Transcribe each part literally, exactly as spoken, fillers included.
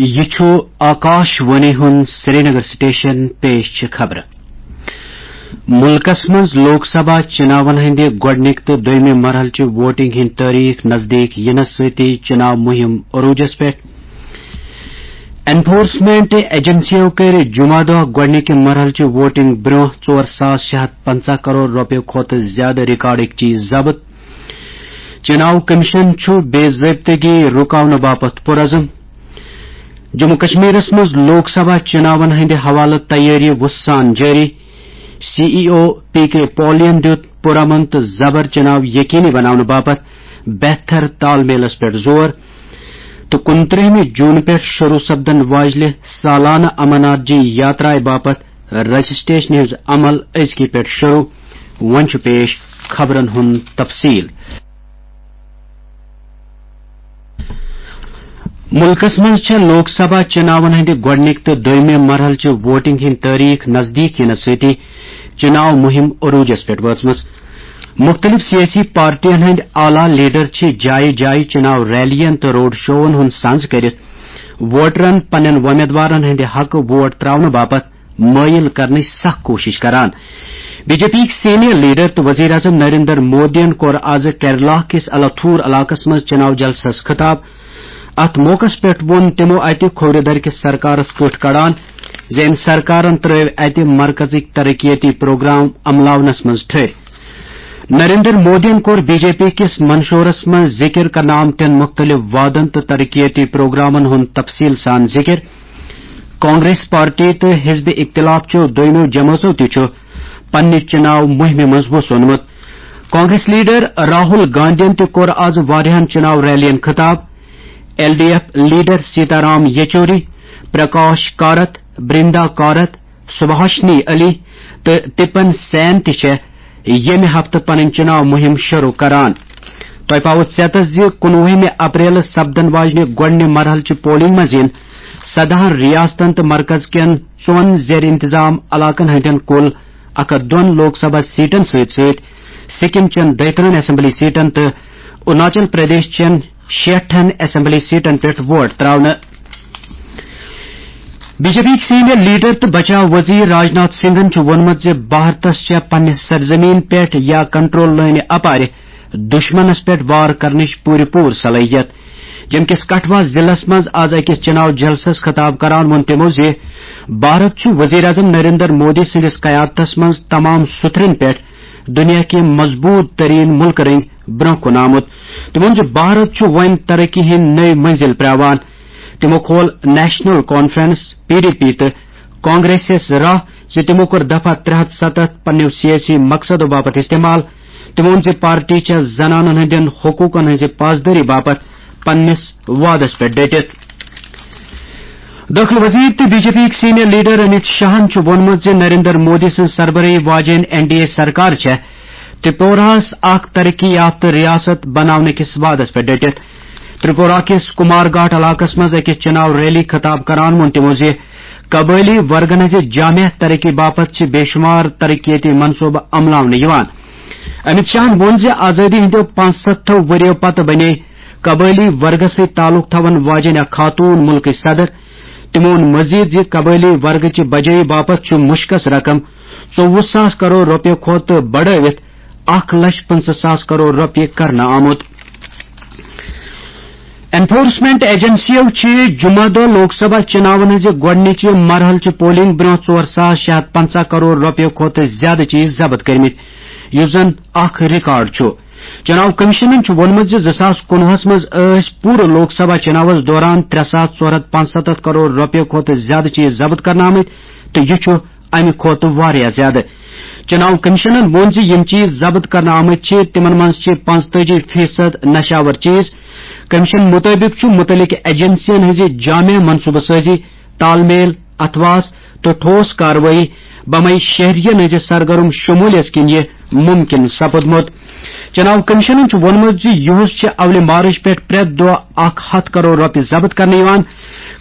یہِ چھُ آکاش وانی ہُنٛد سرینگر سٹیشن۔ پیش چھِ خبرٕ۔ مُلکس منٛز لوک سبھا چُناون ہٕنٛدِ گۄڈٕنِکۍ تہٕ دوٚیمہِ مرحلہٕ چہِ ووٹنگ ہٕنٛدۍ تٲریخ نزدیٖک یِنس سۭتی چُناو مُہِم عروٗجس پٮ۪ٹھ۔ انفورسمنٹ ایجنسیو کٔرۍ جمعہ دۄہ گۄڈٕنِکہِ مرحلہٕ چہِ ووٹنگ برٛونٛہہ ژور ساس شےٚ ہتھ پنٛژاہ کرور رۄپیہِ کھۄتہٕ زِیٛادٕ ریکارڈٕکۍ چیٖز ضبط۔ چُناو کمیشن چھُ بے ضٲبطگی رُکاونہٕ باپتھ پُرعزم۔ جموں کشمیرس منٛز لوک سبھا چُناون ہٕنٛدِ حوالہٕ تیٲری وُسان جٲری۔ سی ای او پی کے پولین دیُت پُرامن تہٕ زبر چُناو یقینی بناونہٕ باپتھ بہتر تال میلس پٮ۪ٹھ زور۔ تہٕ کُنترٛہمہِ جوٗن پٮ۪ٹھ شروٗع سپدن واجلہِ سالانہٕ امرناتھ جی یاترایہِ باپتھ رجسٹریشن ہٕنٛز عمل أزکی پٮ۪ٹھ شروٗع۔ وۄنۍ چھُ پیش خبرن ہُنٛد تفصیل۔ مُلکس منٛز چھےٚ لوک سبھا چُناون ہٕنٛدِ گۄڈٕنِکۍ تہٕ دوٚیمہِ مرحلہٕ چہِ ووٹنگ ہٕنٛدۍ تٲریخ نزدیٖک یِنس سۭتی چُناو مُہِم عروٗجس پٮ۪ٹھ وٲژمٕژ۔ مُختٔلِف سیٲسی پارٹین ہٕنٛدۍ اعلیٰ لیڈر چھِ جایہِ جایہِ چُناو ریلین تہٕ روڈ شوون ہُنٛد سنز کٔرِتھ ووٹرن پننٮ۪ن وۄمیدوارن ہٕنٛدِ حقہٕ ووٹ ترٛاونہٕ باپتھ مٲیِل کرنٕچ سخ کوٗشِش کران۔ بی جے پی یِکۍ سینئر لیڈر تہٕ وزیر اعظم نریندر مودیَن کوٚر آز کیرلا کِس الاتھور علاقس منٛز چُناو جلسس خطاب۔ اتھ موقعس پٮ۪ٹھ ووٚن تِمو اتہِ کھوورِ درِ کِس سرکارس کٔٹھۍ کڑان زِ أمۍ سرکارن ترٲوۍ اتہِ مرکزٕکۍ ترقیتی پروگرام عملاونس منٛز ٹھٔرۍ۔ نریندر مودیَن کوٚر بی جے پی کِس منشورس منٛز ذِکِر کرنہٕ آمتٮ۪ن مُختٔلِف وعدن تہٕ ترقیتی پروگرامن ہُنٛد تفصیٖل سان ذِکِر۔ کانگریس پارٹی تہٕ حزب اختلاف چیو دوٚیمو جمٲژو تہِ چھُ پننہِ چُناو مُہِمہِ منٛز وُژھ اوٚنمُت۔ کانگریس لیڈر راہل گاندھین تہِ کوٚر آز واریاہن چُناو ریلین خطاب۔ L D F leader Sitaram Yechury, Prakash Karat, Brinda Karat, Subhashini Ali تہٕ تپن سین تہِ چھےٚ ییٚمہِ ہفتہٕ پنٕنۍ چُناو مُہِم شروٗع کران۔ تۄہہِ پاوو ژیتس زِ کُنوُہمہِ اپریلہٕ سپدن واجنہِ گۄڈٕنہِ مرحلہٕ چہِ پولنگ منٛز یِن سدہن ریاستن تہٕ مرکز کٮ۪ن ژۄن زیر انتظام علاقن ہٕنٛدٮ۪ن کُل اکھ ہتھ دۄن لوک سبھا سیٹن سۭتۍ سۭتۍ سکم چٮ۪ن دۄیترٕہن اسمبلی سیٹن تہٕ اروناچل پردیش چٮ۪ن شیٹھن اسمبلی سیٹن پٮ۪ٹھ ووٹ تراونہٕ۔ بی جے پی یِکۍ سینئر لیڈر تہٕ بچاو وزیر راجناتھ سنگھن چھُ ووٚنمُت زِ بھارتس چھےٚ پننہِ سرزمین پٮ۪ٹھ یا کنٹرول لٲنہِ اپارِ دشمنس پٮ۪ٹھ وار کرنٕچ پوٗرٕ پوٗرٕ صلٲحیت۔ جموں کِس کٹھوا ضلعس منٛز آز أکِس چُناو جلسس خطاب کران ووٚن تِمو زِ بھارت چھُ وزیر اعظم نریندر مودی سٕنٛدِس قیادتس منٛز تمام سطحن پٮ۪ٹھ دنیا کہِ مضبوط ترین ملکہٕ رٔنگۍ برونٛہہ کُن آمُت۔ تٔمۍ ووٚن زِ بھارت چھُ وۄنۍ ترقی ہٕنٛدۍ نٔوۍ منزل پرٛاوان۔ تِمو کھول national conference, P D P, تہٕ کانگریسس راہ زِ تِمو کوٚر دفعہ ترٛےٚ ہتھ ستتھ پننیو سیٲسی مقصدو باپتھ استعمال۔ تِمو ووٚن زِ پارٹی چھےٚ زنانن ہٕنٛدٮ۪ن حقوقن ہٕنٛزِ پاسدٲری باپتھ پننِس وعدس پٮ۪ٹھ ڈٔٹِتھ۔ دٲخلہٕ وزیر تہٕ بی جے پی یِکۍ سینئر لیڈر امیت شاہن چھُ ووٚنمُت زِ نریندر مودی سٕنٛز سربرٲہی واجیٚنۍ این ڈی اے سرکار چھےٚ ترپوراہس اکھ ترقی یافتہٕ ریاست بناونہٕ کِس وعدس پٮ۪ٹھ ڈٔٹِتھ۔ ترپورہ کِس کمار گھاٹ علاقس منٛز أکِس چُناو ریلی خطاب کران ووٚن تِمو زِ قبٲئلی ورگن ہٕنٛزِ جامع ترقی باپتھ چھِ بے شمار ترقیتی منصوبہٕ عملاونہٕ یِوان۔ امیت شاہن ووٚن زِ آزٲدی ہٕنٛدیو پانٛژستھو ؤرۍیو پتہٕ بنے قبٲئلی ورگس سۭتۍ تعلق تھاون واجیٚنۍ اکھ خاتون مُلکٕچ صدر۔ تِمو ووٚن مزید زِ قبٲئلی ورگہٕ چہِ بجٲیی باپتھ چھُ مُشکس رقم ژوٚوُہ ساس کرور رۄپیہِ کھۄتہٕ بڑٲوِتھ اکھ لچھ پٕنٛژٕہ ساس کرور رۄپیہِ کرنہٕ آمُت۔ انفورسمنٹ ایجنسیو چھِ جمعہ دۄہ لوک سبھا چُناون ہٕنٛزِ گۄڈٕنِچہِ مرحلہٕ چہِ پولنگ برٛونٛہہ ژور ساس شےٚ ہتھ پنٛژاہ کرور رۄپیہِ کھۄتہٕ زیادٕ چیٖز ضبط کٔرمٕتۍ، یُس زن اکھ ریکارڈ چھُ۔ چُناو کمیشنن چھُ ووٚنمُت زِ زٕ ساس کُنوُہس منٛز ٲسۍ پوٗرٕ لوک سبھا چُناوس دوران ترٛےٚ ساس ژور ہتھ پانٛژستتھ کرور رۄپیہِ کھۄتہٕ زیادٕ چیٖز ضبط کرنہٕ آمٕتۍ تہٕ یہِ چھُ امہِ کھۄتہٕ واریاہ زیادٕ۔ چُناو کمیشنن ووٚن زِ یِم چیٖز ضبط کرنہٕ آمٕتۍ چھِ، تِمن منٛز چھِ پانٛژتٲجی فیصد نشاور چیٖز۔ کمیشن مُطٲبِق چھُ مُتعلقہٕ ایجنسین ہٕنٛزِ جامع منصوبہٕ سٲزی، تال میل، اتھواس تہٕ ٹھوس کاروٲیی بمے شہرین ہٕنٛزِ سرگرم شمولیت کِنۍ یہِ مُمکِن سپُدمُت۔ چُناو کمیشنن چھُ ووٚنمُت زِ یُہُس چھِ اولہِ مارچ پٮ۪ٹھ پرٛٮ۪تھ دۄہ اکھ ہتھ کرور رۄپیہِ ضبط کرنہٕ یِوان۔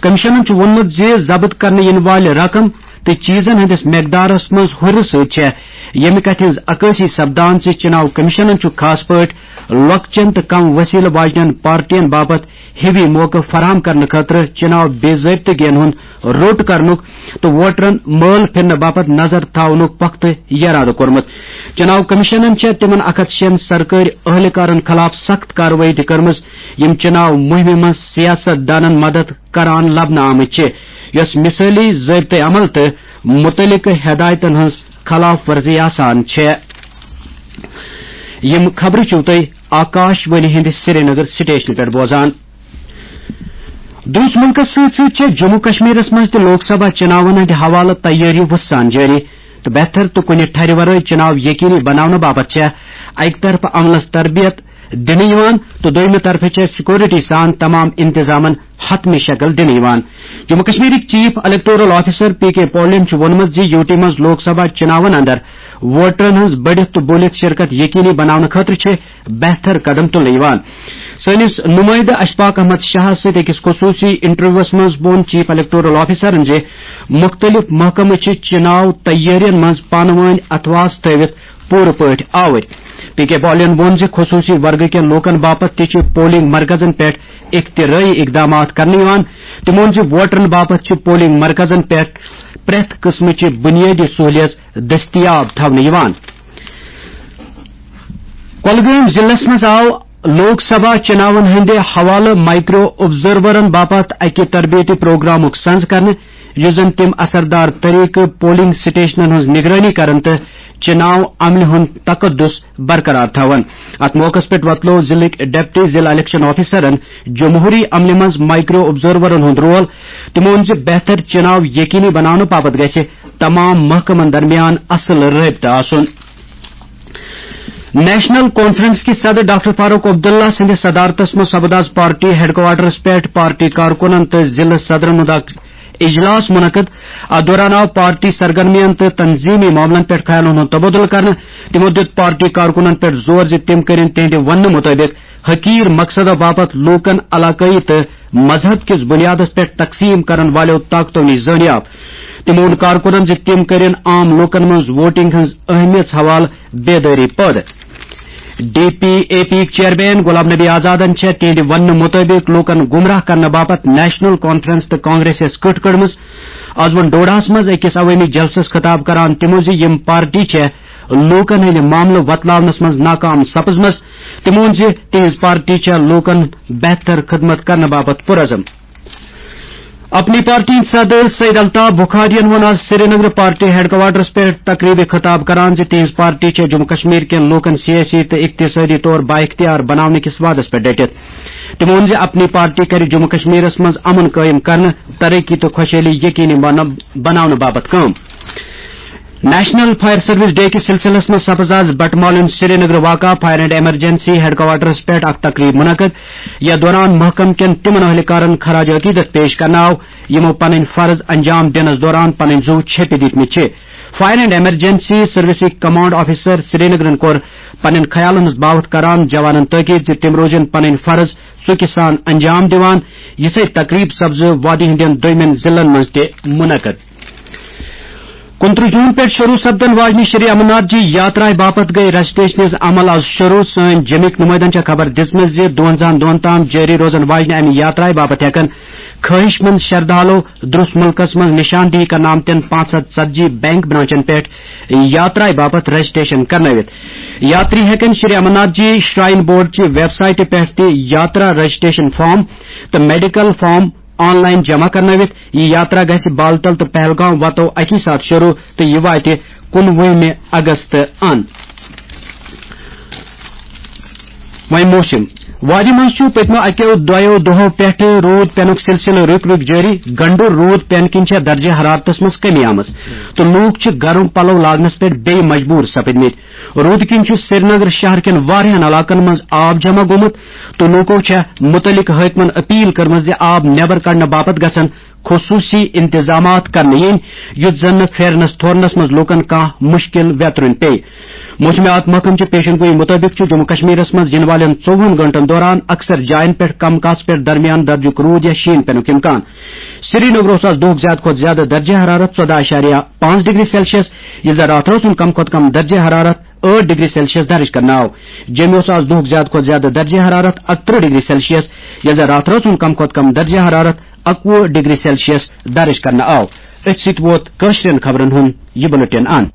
کمیشنن چھُ ووٚنمُت زِ ضبط کرنہٕ یِنہٕ والہِ رقم تہٕ چیٖزن ہٕنٛدِس مقدارس منٛز ہُرِ سۭتۍ چھےٚ ییٚمہِ کتھِ ہٕنٛز عکٲسی سپدان زِ چناو کمیشنن چھُ خاص پٲٹھۍ لۄکچٮ۪ن تہٕ کم وسیلہٕ واجنٮ۪ن پارٹین باپتھ ہِوی موقعہٕ فراہم کرنہٕ خٲطرٕ چناو بے ضٲبطگین ہُنٛد روٚٹ کرنُک تہٕ ووٹرن مٲل پھِرنہٕ باپتھ نظر تھاونُک پختہٕ یرادٕ کوٚرمُت۔ چناو کمیشنن چھےٚ تِمن اکھ ہتھ شیٚن سرکٲرۍ اہلکارن خلاف سخت کاروٲیی تہِ کٔرمٕژ، یِم چناو مُہِمہِ منٛز سیاست دانن مدد کران لبنہٕ آمٕتۍ چھِ، یۄس مثٲلی ضٲبطہٕ عمل تہٕ مُتعلقہٕ ہدایتن ہٕنٛز خلاف ورزی آسان چھےٚ۔ یِم خبرٕ چھِو تُہۍ آکاش وانی ہٕنٛدِ سرینگر سٹیشنہٕ پٮ۪ٹھ بوزان۔ دوٗرِس مُلکَس سۭتۍ سۭتۍ چھےٚ جموں کشمیرَس منٛز تہِ لوک سبھا چُناوَن ہٕنٛدِ حوالہٕ تیٲری وُژھ سان جٲری، تہٕ بہتر تہٕ کُنہِ ٹھرِ ورٲے چُناو یقینی بناونہٕ باپتھ چھےٚ اَکہِ طرفہٕ عملَس تربیت دِنہٕ یِوان تہٕ دوٚیمہِ طرفہٕ چھےٚ سیکورٹی سان تمام انتظامَن حتمی شکل دِنہٕ یِوان۔ جموں کشمیرٕکۍ chief electoral officer P K پولن چھُ ووٚنمُت زِ یوٗ ٹی منٛز لوک سبھا چُناوَن اندر ووٹرَن ہٕنٛز بٔڑِتھ تہٕ بوٗلِتھ شرکت یقینی بناونہٕ خٲطرٕ چھِ بہتر قدم تُلنہٕ یِوان۔ سٲنِس نُمٲیندٕ اشفاق احمد شاہَس سۭتۍ أکِس خصوٗصی انٹرویوَس منٛز ووٚن چیف الیکٹورل آفیسرَن زِ مُختٔلِف محکمہٕ چھِ چُناو تیٲرین منٛز پانہٕ وٲنۍ اتھواس تھٲوِتھ پوٗرٕ پٲٹھۍ آوٕرۍ۔ پی کے پالین ووٚن زِ خصوٗصی ورگہٕ کٮ۪ن لوٗکَن باپتھ تہِ چھِ پولنگ مرکزَن پٮ۪ٹھ اختراعی اقدامات کرنہٕ یِوان۔ تٔمۍ ووٚن زِ ووٹرَن باپتھ چھِ پولنگ مرکزَن پٮ۪ٹھ پرٛٮ۪تھ قٕسمٕچہِ بُنیٲدی سہوٗلیژ دٔستیاب تھاونہٕ یِوان۔ کۄلگٲمۍ ضلعس منٛز آو لوک سبھا چُناون ہٕنٛدِ حوالہٕ مائیکرو آبزرورن باپتھ اکہِ تربیتی پروگرامُک سنز کرنہٕ، یُس زن تِم اثردار طریقہٕ پولنگ سٹیشنن ہٕنٛز نگرٲنی کرن تہٕ چُناو عملہِ ہُنٛد تقدس برقرار تھاون۔ اتھ موقعس پٮ۪ٹھ وۄتلوو ضلعٕکۍ ڈپٹی ضلع الیکشن آفیسرن جمہوری عملہِ منٛز مائیکرو آبزرورن ہُنٛد رول۔ تِمو ووٚن زِ بہتر چُناو یقینی بناونہٕ باپتھ گژھِ تمام محکمن درمیان اصل رٲبطہٕ آسُن۔ نیشنل کانفرنس کہِ صدر ڈاکٹر فاروق عبداللہ سٕنٛدِ صدارتس منٛز سپُد آز پارٹی ہیڈ کوارٹرس پٮ۪ٹھ پارٹی کارکنن تہٕ ضلعہٕ صدرن ہُنٛد اکھ اجلاس منعقد۔ اتھ دوران آو پارٹی سرگرمیَن تہٕ تنظیمی معاملن پٮ۪ٹھ خیالن ہُنٛد تبادلہٕ کرنہٕ۔ تِمو دیُت پارٹی کارکنن پٮ۪ٹھ زور زِ تِم کٔرِن تِہنٛدِ وننہٕ مُطٲبِق حقیٖر مقصدو باپتھ لوٗکن علاقٲیی تہٕ مذہب کِس بُنیادس پٮ۪ٹھ تقسیٖم کرن والیو طاقتو نِش زٲنیاب۔ تِمو ووٚن کارکُنن زِ تِم کٔرِن عام لوٗکن منٛز ووٹنگ ہٕنٛز اہمیت حوالہٕ بیدٲری پٲدٕ۔ ڈی پی اے پی یِکۍ چیئرمین غلام نبی آزادن چھےٚ تِہنٛدِ وننہٕ مُطٲبِق لوٗکن گمراہ کرنہٕ باپتھ نیشنل کانفرنس تہٕ کانگریسس کٔٹھ کٔڑمٕژ۔ آز ووٚن ڈوڈاہس منٛز أکِس عوٲمی جلسس خطاب کران تِمو زِ یِم پارٹی چھےٚ لوٗکن ہٕنٛدِ معاملہٕ وۄتلاونس منٛز ناکام سپٕزمٕژ۔ تِمو ووٚن زِ تِہنٛز پارٹی چھےٚ لوٗکن بہتر خدمت کرنہٕ باپتھ پُرعزم۔ اپنی پارٹی ہٕنٛدۍ صدر سید الطاف بخاریَن ووٚن آز سرینگر پارٹی ہیڈ کوارٹرس پٮ۪ٹھ تقریبہِ خطاب کران زِ تِہنٛز پارٹی چھےٚ جموں کشمیر کٮ۪ن لوٗکن سیٲسی تہٕ اقتصٲدی طور بااختیار بناونہٕ کِس وعدس پٮ۪ٹھ ڈٔٹِتھ۔ تِمو ووٚن زِ اپنی پارٹی کرِ جموں کشمیرس منٛز امن قٲیِم کرنہٕ، ترقی تہٕ خۄشحٲلی یقینی بناونہٕ باپتھ کٲم۔ نیشنل فائر سروس ڈے کِس سلسلس منٛز سپز آز بٹمالین سرینگر واقع fire and emergency headquarters پٮ۪ٹھ اکھ تقریب منعقد۔ یتھ دوران محکمہٕ کٮ۪ن تِمن اہلکارن خراج عقیدت پیش کرنہٕ آو، یِمو پنٕنۍ فرض انجام دِنس دوران پنٕنۍ زُو چھیٚپہِ دِتمٕتۍ چھِ۔ فائر اینڈ ایمرجنسی سروسٕکۍ کمانڈ آفیسر سرینگرن کوٚر پنٕنۍ خیالن ہٕنٛز باوتھ کران جوانن تٲکید زِ تِم روزن پنٕنۍ فرض ژُکہِ سان انجام دِوان۔ یِژھے تقریب سپزٕ وادی ہٕنٛدٮ۪ن دوٚیمٮ۪ن ضلعن منٛز تہِ منعقد۔ کُنترٕہ جون پٮ۪ٹھ شروع سپدن واجنہِ شری امرناتھ جی یاترایہِ باپتھ گٔے رجسٹریشن ہٕنٛز عمل آز شروع۔ سٲنۍ جمِکۍ نُمٲیندن چھےٚ خبر دِژمٕژ زِ دُوَنزاہن دۄہن تام جٲری روزن واجنہِ امہِ یاترایہِ باپتھ ہٮ۪کن خٲہِش مند شردھالو درُس مُلکس منٛز نشاندہی کرنہٕ آمتٮ۪ن پانٛژھ ہتھ ژتجی بینک برانچن پٮ۪ٹھ یاترایہِ باپتھ رجسٹریشن کرنٲوِتھ۔ یاتری ہٮ۪کن شری امرناتھ جی شراین بورڈ چہِ ویب سائٹہِ پٮ۪ٹھ تہِ یاترا رجسٹریشن فارم تہٕ میڈیکل فارم آن لائن جمع کرنٲوِتھ۔ یہِ یاترا گژھِ بالتل تہٕ پہلگام وتو اکی ساتھ شروع تہٕ یہِ واتہِ کُنوُہمہِ اگست ان۔ وۄنۍ موسم۔ وادی منٛز چھُ پٔتمیو اکیو دۄیو دۄہو پٮ۪ٹھٕ روٗد پینُک سلسلہٕ رُکۍ رُکۍ جٲری۔ گنڈُر روٗد پینہٕ کِنۍ چھےٚ درجہ حرارتس منٛز کمی آمٕژ تہٕ لوٗکھ چھِ گرم پلو لاگنس پٮ۪ٹھ بیٚیہِ مجبوٗر سپٕدمٕتۍ۔ روٗدٕ کِنۍ چھُ سرینگر شہر کٮ۪ن واریاہن علاقن منٛز آب جمع گوٚمُت تہٕ لوٗکو چھےٚ مُتعلقہٕ حٲکمن اپیل کٔرمٕژ زِ آب نٮ۪بر کڑنہٕ باپتھ گژھن خصوصی انتظامات کرنہٕ یِنۍ، یُتھ زن نہٕ پھیرنس تھورنس منٛز لوٗکن کانٛہہ مُشکِل ویترُن پیٚیہِ۔ موسمیات محکمہٕ چہِ پیشن گویی مُطٲبِق چھُ جموں کشمیرس منٛز یِنہٕ والٮ۪ن ژوٚوُہن گٲنٛٹن دوران اکثر جاین پٮ۪ٹھ کم کاس پٮ۪ٹھ درمیان درجُک روٗد یا شیٖن پینُک امکان۔ سرینگرس آز دۄہُک زیادٕ کھۄتہٕ زیادٕ درجہ حرارت ژۄداہ اعشاریہ پانٛژھ ڈگری سیلسیس، یُس زن راتھ رٲژ ہُنٛد کم کھۄتہٕ کم درجہ حرارت ٲٹھ ڈگری سیلسیس درج کرنہٕ آو۔ جوٚمہِ اوس آز دۄہُک زیادٕ کھۄتہٕ زیادٕ درجہ حرارت اکترٕہ ڈگری سیلسیس، یُس زن راتھ رٲژ ہُنٛد کم کھۄتہٕ کم درجہ حرارت اکوُہ ڈگری سیلسیس درج کرنہٕ آو۔ أتھۍ سۭتۍ ووت کٲشرٮ۪ن خبرن ہُنٛد یہِ بُلٹن اند۔